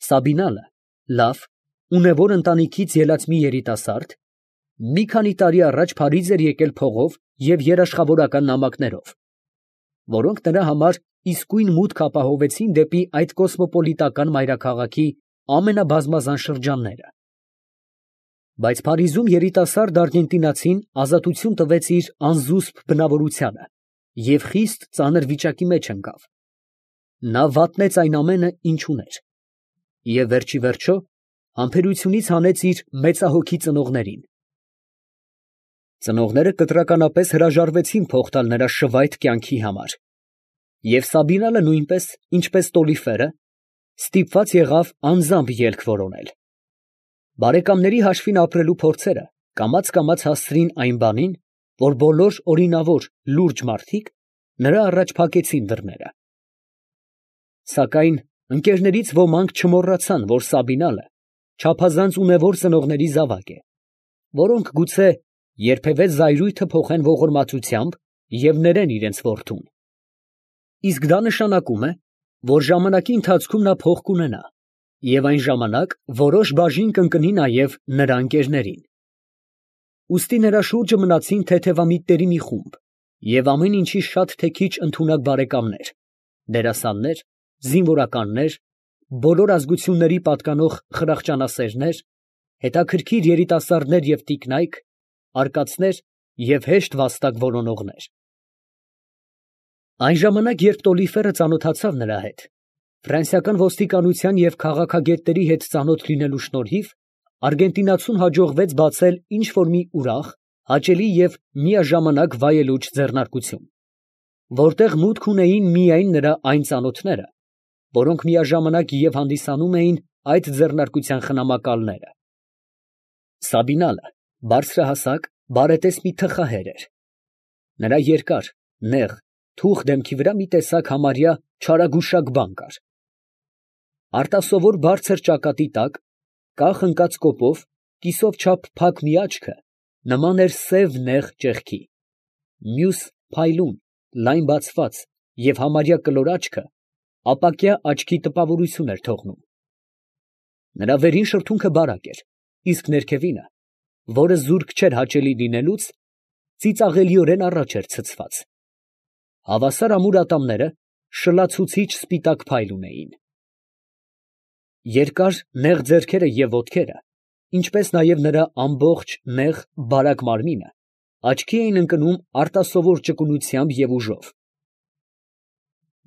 Սաբինալը լավ, ունևոր ընտանիքից ելած մի երիտասարդ, մի քանի տարի առաջ Փարիզ էր եկել փողով և երաշխավորական նամակներով, որոնք նրա համար իսկույն մուտք ապահովեցին դեպի այդ կոսմոպոլիտական մայրաքաղաքի ամենաբազմազան շրջանները. բայց Փարիզում երիտասարդ արգենտինացին ազատություն տվեց իր անզուսպ բնավորությանը և խիստ ծանր վիճակի մեջ ընկավ. նա վատնեց այն ամենը, ինչ ուներ, և վերջիվերջո համբերությունից հանեց իր մեծահոգի ծնողներին. ծնողները կտրականապես հրաժարվեցին փող տալ նրա շվայտ կյանքի համար, և Սաբինալը նույնպես, ինչպես Տոլիֆերը, ստիպված եղավ անձամբ ելք որոնել. բարեկամների հաշվին ապրելու փորձերը կամաց հասցրին այն բանին, որ բոլոր օրինավոր, լուրջ մարդիկ նրա առաջ փակեցին դռները. սակայն ընկերներից ոմանք չմոռացան, որ Սաբինալը չափազանց ունևոր ծնողների զավակ է, որոնք գուցե երբևէ զայրույթը փոխեն ողորմածությամբ և ներեն իրենց որդուն. իսկ դա նշանակում է, որ ժամանակի ընթացքում նա փող կունենա, և այն ժամանակ որոշ բաժին կընկնի նաև նրա ընկերներին. ուստի նրա շուրջը մնացին թեթևամիտների մի խումբ և ամեն ինչի շատ թե քիչ ընդունակ բարեկամներ, դերասաններ, զինվորականներ, բոլոր ազգությունների պատկանող խրախճանասերներ, հետաքրքիր երիտասարդներ և տիկնայք, արկածներ և հեշտ վաստակ որոնողներ. այն ժամանակ, երբ Տոլիֆերը ծանոթացավ նրա հետ, ֆրանսիական ոստիկանության և քաղաքագետների հետ ծանոթ լինելու շնորհիվ, արգենտինացուն հաջողվեց բացել ինչ֊որ մի ուրախ, հաճելի և միաժամանակ վայելուչ ձեռնարկություն, որտեղ մուտք ունեին միայն նրա այն ծանոթները, որոնք միաժամանակ և հանդիսանում էին այդ ձեռնարկության խնամակալները. Սաբինալը բարձրահասակ, բարետես մի թխահեր էր. նրա երկար, նեղ, թուխ դեմքի վրա մի տեսակ համարյա չարագուշակ բան կար. արտասովոր բարձր ճակատի տակ, կախ ընկած կոպով, կիսով չափ փակ մի աչքը նման էր սև նեղ ճեղքի, մյուս փայլուն, լայն բացված և համարյա կլոր աչքը ապակյա աչքի տպավորություն էր թողնում. նրա վերին շրթունքը բարակ էր, իսկ ներքևինը, որը զուրկ չէր հաճելի լինելուց, ծիծաղելիորեն առաջ էր ցցված. հավասար ամուր ատամները շլացուցիչ սպիտակ փայլ ունեին. երկար նեղ ձեռքերը և ոտքերը, ինչպես նաև նրա ամբողջ նեղ, բարակ մարմինը աչքի էին ընկնում արտասովոր ճկունությամբ և ուժով.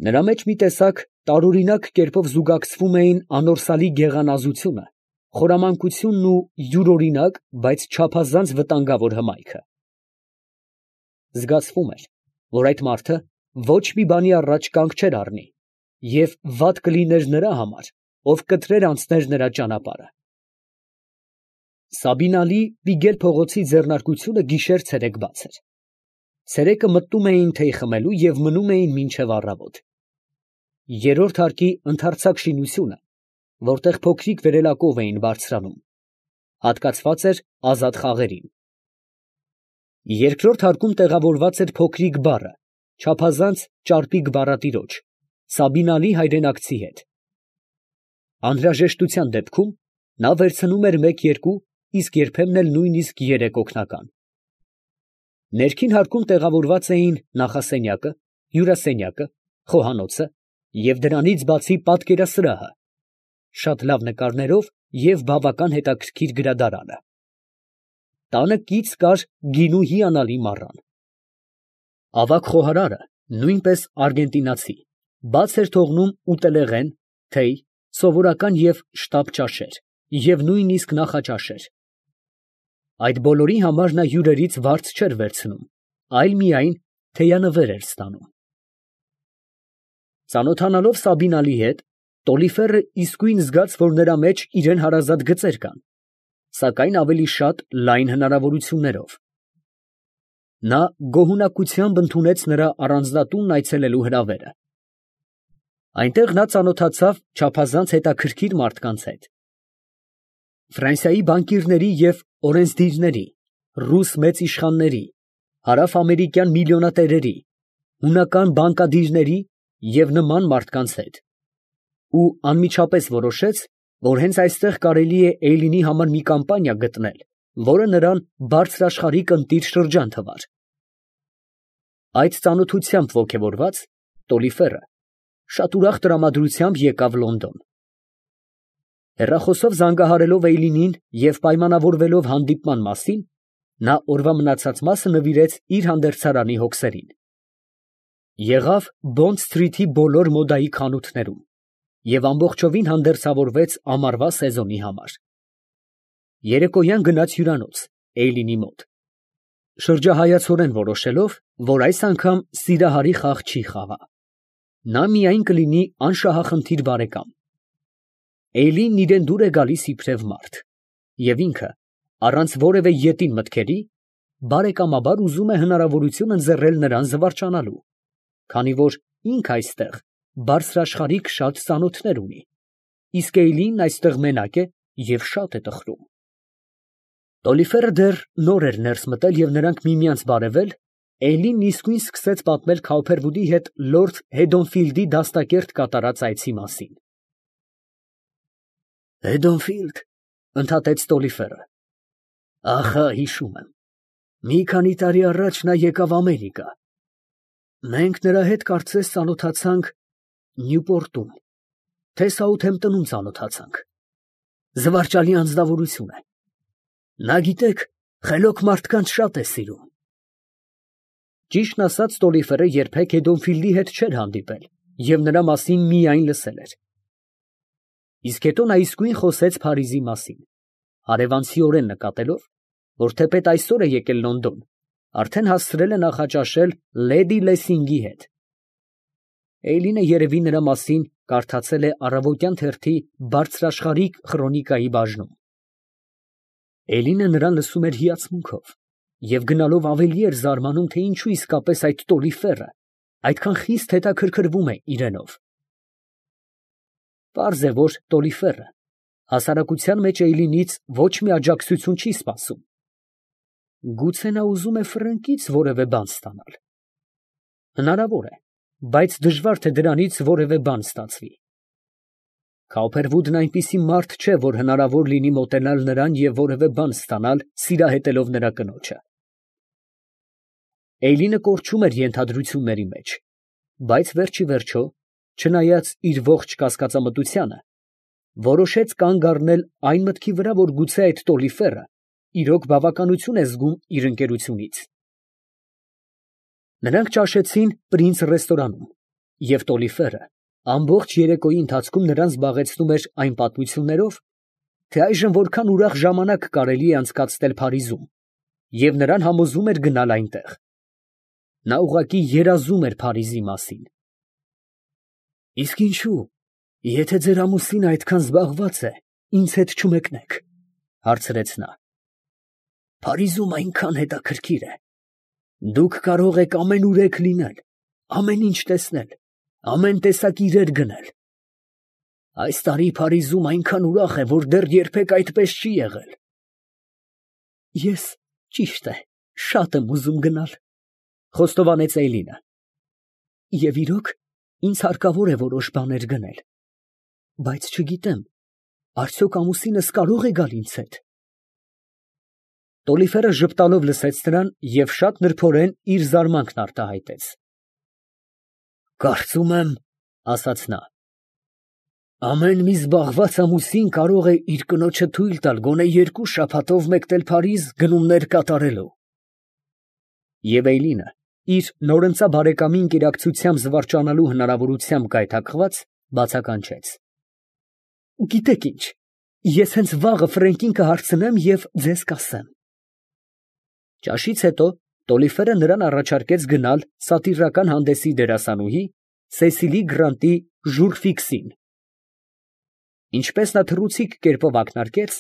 նրա մեջ մի տեսակ տարօրինակ կերպով զուգակցվում էին անորսալի գեղանազությունը, խորամանկությունն ու յուրօրինակ, բայց չափազանց վտանգավոր հմայքը. զգացվում էր, որ այդ մարդը ոչ մի բանի առաջ կանգ չէր առնի, և վատ կլիներ նրա համար, ով կտրեր անցներ նրա ճանապարհը. Սաբինալի Պիգել փողոցի ձեռնարկությունը գիշեր֊ցերեկ բաց էր. ցերեկը մտնում էին թեյ խմելու և մնում էին մինչև առավոտ. երրորդ հարկի ընդարձակ շինությունը, որտեղ փոքրիկ վերելակով էին բարձրանում, հատկացված էր ազատ խաղերին. երկրորդ հարկում տեղավորված էր փոքրիկ բառը, չափազանց ճարպիկ բառատիրոջ, Սաբինալի հայրենակցի հետ. անհրաժեշտության դեպքում նա վերցնում էր 1-2, իսկ երբեմն էլ նույնիսկ 3 օգնական. ներքին հարկում տեղավորված էին նախասենյակը, հյուրասենյակը, խոհանոցը և դրանից բացի պատկերասրահը, շատ լավ նկարներով և բավական հետաքրքիր գրադարանը. տանը կից կար գինու հիանալի մառան. ավագ խոհարարը, նույնպես արգենտինացի, բաց էր թողնում ուտելեղեն, թեյ, սովորական և շտապ ճաշեր և նույնիսկ նախաճաշեր. այդ բոլորի համար նա հյուրերից վարձ չէր վերցնում, այլ միայն թեյանվեր էր ստանում. Ծանոթանալով Սաբինալի հետ, Տոլիֆերը իսկույն զգաց, որ նրա մեջ իրան հարազատ գծեր կան, սակայն ավելի շատ լայն հնարավորություններով. նա գոհունակությամբ ընդունեց նրա առանձնատունն այցելելու հրավերը. այնտեղ նա ծանոթացավ չափազանց հետաքրքիր մարդկանց հետ. Ֆրանսիայի բանկիրների և օրենսդիրների, ռուս մեծ իշխանների, հարավ֊ամերիկյան միլիոնատերերի, հունական բանկադիրների և նման մարդկանց հետ, ու անմիջապես որոշեց, որ հենց այստեղ կարելի է Էյլինի համար մի կամպանիա գտնել, որը նրան բարձրաշխարհիկ ընտիր շրջան թվար։ Այդ ծանոթությամբ ոգևորված, Տոլիֆերը շատ ուրախ տրամադրությամբ եկավ Լոնդոն։ Հեռախոսով զանգահարելով Էյլինին և պայմանավորվելով հանդիպման մասին, նա օրվա մնացած մասը նվիրեց իր հանդերձարանի հոգսերին։ Եղավ Բոնդ Սթրիթի բոլոր մոդայի խանութներում և ամբողջովին հանդերձավորվեց ամառվա սեզոնի համար։ Երեկոյան գնաց հյուրանոց Էյլինի մոտ, շրջահայացորեն որոշելով, որ այս անգամ սիրահարի խաղ չի խաղա։ Նա միայն կլինի անշահախնդիր բարեկամ։ Էյլինն իրան դուր է գալիս իբրև մարդ, և ինքը, առանց որևէ ետին մտքերի, բարեկամաբար ուզում է հնարավորություն ընձեռել նրան զվարճանալու, քանի որ ինքը այստեղ բարձրաշխարհիկ շատ ծանոթներ ունի, իսկ Էյլինն այստեղ մենակ է և շատ է տխրում։ Տոլիֆերը դեռ նոր էր ներս մտել և նրանք միմյանց բարևել, Էյլինն իսկույն սկսեց պատմել Քաուփերվուդի հետ լորդ Հեդոնֆիլդի դաստակերտ կատարած այցի մասին։ «Հեդոնֆիլդ, ֊ ընդհատեց Տոլիֆերը, ֊ ախա, հիշում եմ, մի քանի տարի առաջ նա եկավ Ամերիկա. մենք նրա հետ կարծես ծանոթացանք Նյուպորտում, թե Սաութհեմպտոնում ծանոթացանք. զվարճալի անձնավորություն է. նա, գիտեք, խելոք մարդկանց շատ է սիրում»։ Ճիշտն ասած, Տոլիֆերը երբեք Հեդոնֆիլդի հետ չէր հանդիպել և նրա մասին միայն լսել էր։ Իսկ հետո նա իսկույն խոսեց Փարիզի մասին, հարևանցիորեն նկատելով, որ թեպետ այսօր է եկել Լոնդոն, արդեն հասցրել է նախաճաշել լեդի Լեսինգի հետ։ Էյլինը երևի նրա մասին կարդացել է առավոտյան թերթի բարձրաշխարհիկ խրոնիկայի բաժնում։ Էյլինը նրան լսում էր հիացմունքով և գնալով ավելի էր զարմանում, թե ինչու իսկապես այդ Տոլիֆերը այդքան խիստ հետաքրքրվում է իրենով։ Պարզ է, որ Տոլիֆերը հասարակության մեջ Էյլինից ոչ մի աջակցություն չի սպասում։ Գուցե նա ուզում է ֆրանկից որևէ բան ստանալ։ Հնարավոր է, բայց դժվար թե դրանից որևէ բան ստացվի։ Քաուփերվուդն այնպիսի մարդ չէ, որ հնարավոր լինի մոտենալ նրան և որևէ բան ստանալ, սիրահետելով նրա կնոջը։ Էյլինը կորչում էր ենթադրությունների մեջ, բայց վերջիվերջո, չնայած իր ողջ կասկածամտությանը, որոշեց կանգ առնել այն մտքի վրա, որ գուցե այդ Տոլիֆերը իրոք բավականություն է զգում իր ընկերությունից։ Նրանք ճաշեցին Պրինց ռեստորանում, և Տոլիֆերը ամբողջ երեկոյի ընթացքում նրան զբաղեցնում էր այն պատմություններով, թե այժմ որքան ուրախ ժամանակ կարելի է անցկացնել Փարիզում, և նրան համոզում էր գնալ այնտեղ։ Նա ուղղակի երազում էր Փարիզի մասին։ «Իսկ ինչու, եթե ձեր ամուսինը այդքան զբաղված է, ինձ հետ չմեկնեք, ֊ հարցրեց նա. ֊ Փարիզում այնքան հետաքրքիր է. դուք կարող եք ամենուրեք լինել, ամեն ինչ տեսնել, ամեն տեսակ իրեր գնել։ Այս տարի Փարիզում այնքան ուրախ է, որ դեռ երբեք այդպես չի եղել»։ «Ես, ճիշտ է, շատ եմ ուզում գնալ, ֊ խոստովանեց Էյլինը, ֊ և իրոք, ինձ հարկավոր է որոշ բաներ գնել, բայց չգիտեմ, արդյոք ամուսինս կարո՞ղ է գալ ինձ հետ։ Տոլիֆերը ժպտալով լսեց նրան և շատ նրբորեն իր զարմանքն արտահայտեց։ «Կարծում եմ, ֊ ասաց նա, ֊ ամեն մի զբաղված ամուսին կարող է իր կնոջը թույլ տալ գոնե 2 շաբաթով մեկնել Փարիզ գնումներ կատարելու»։ Եվ Էյլինը, իր նորընծա բարեկամի ընկերակցությամբ զվարճանալու հնարավորությամբ գայթակղված, բացականչեց. «Գիտեք ինչ, ես հենց վաղը Ֆրենկին կհարցնեմ և ձեզ կասեմ»։ Ճաշից հետո Տոլիֆերը նրան առաջարկեց գնալ սատիրական հանդեսի դերասանուհի Սեսիլի Գրանտի ժուրֆիքսին։ Ինչպես նա թռուցիկ կերպով ակնարկեց,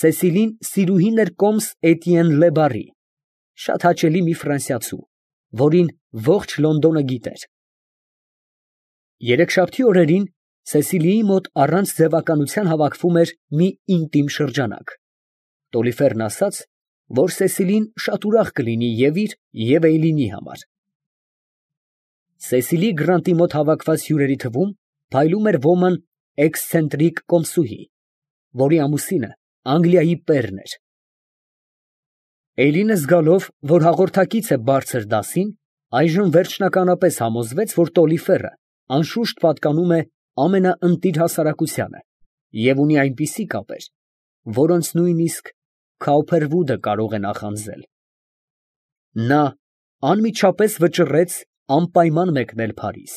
Սեսիլին սիրուհին էր կոմս Էտիեն Լեբարի, շատ հաճելի մի ֆրանսիացու, որին ողջ Լոնդոնը գիտեր։ Երեքշաբթի օրերին Սեսիլիի մոտ առանց ձևականության հավաքվում էր մի ինտիմ շրջանակ։ Տոլիֆերն ասաց, որ Սեսիլին շատ ուրախ կլինի և իր, և Էյլինի համար։ Սեսիլի Գրանտի մոտ հավաքված հյուրերի թվում փայլում էր ոմն էքսցենտրիկ կոմսուհի, որի ամուսինը Անգլիայի պերն էր։ Էլինը զգալով, որ հաղորդակից է բարձր դասին, այժմ վերջնականապես համոզվեց, որ Տոլիֆերը անշուշտ պատկանում է ամենաընտիր հասարակությանը և ունի այնպիսի կապեր, որոնց նույնիսկ Քաուփերվուդը կարող է նախանձել։ Նա անմիջապես վճռեց անպայման մեկնել Փարիզ։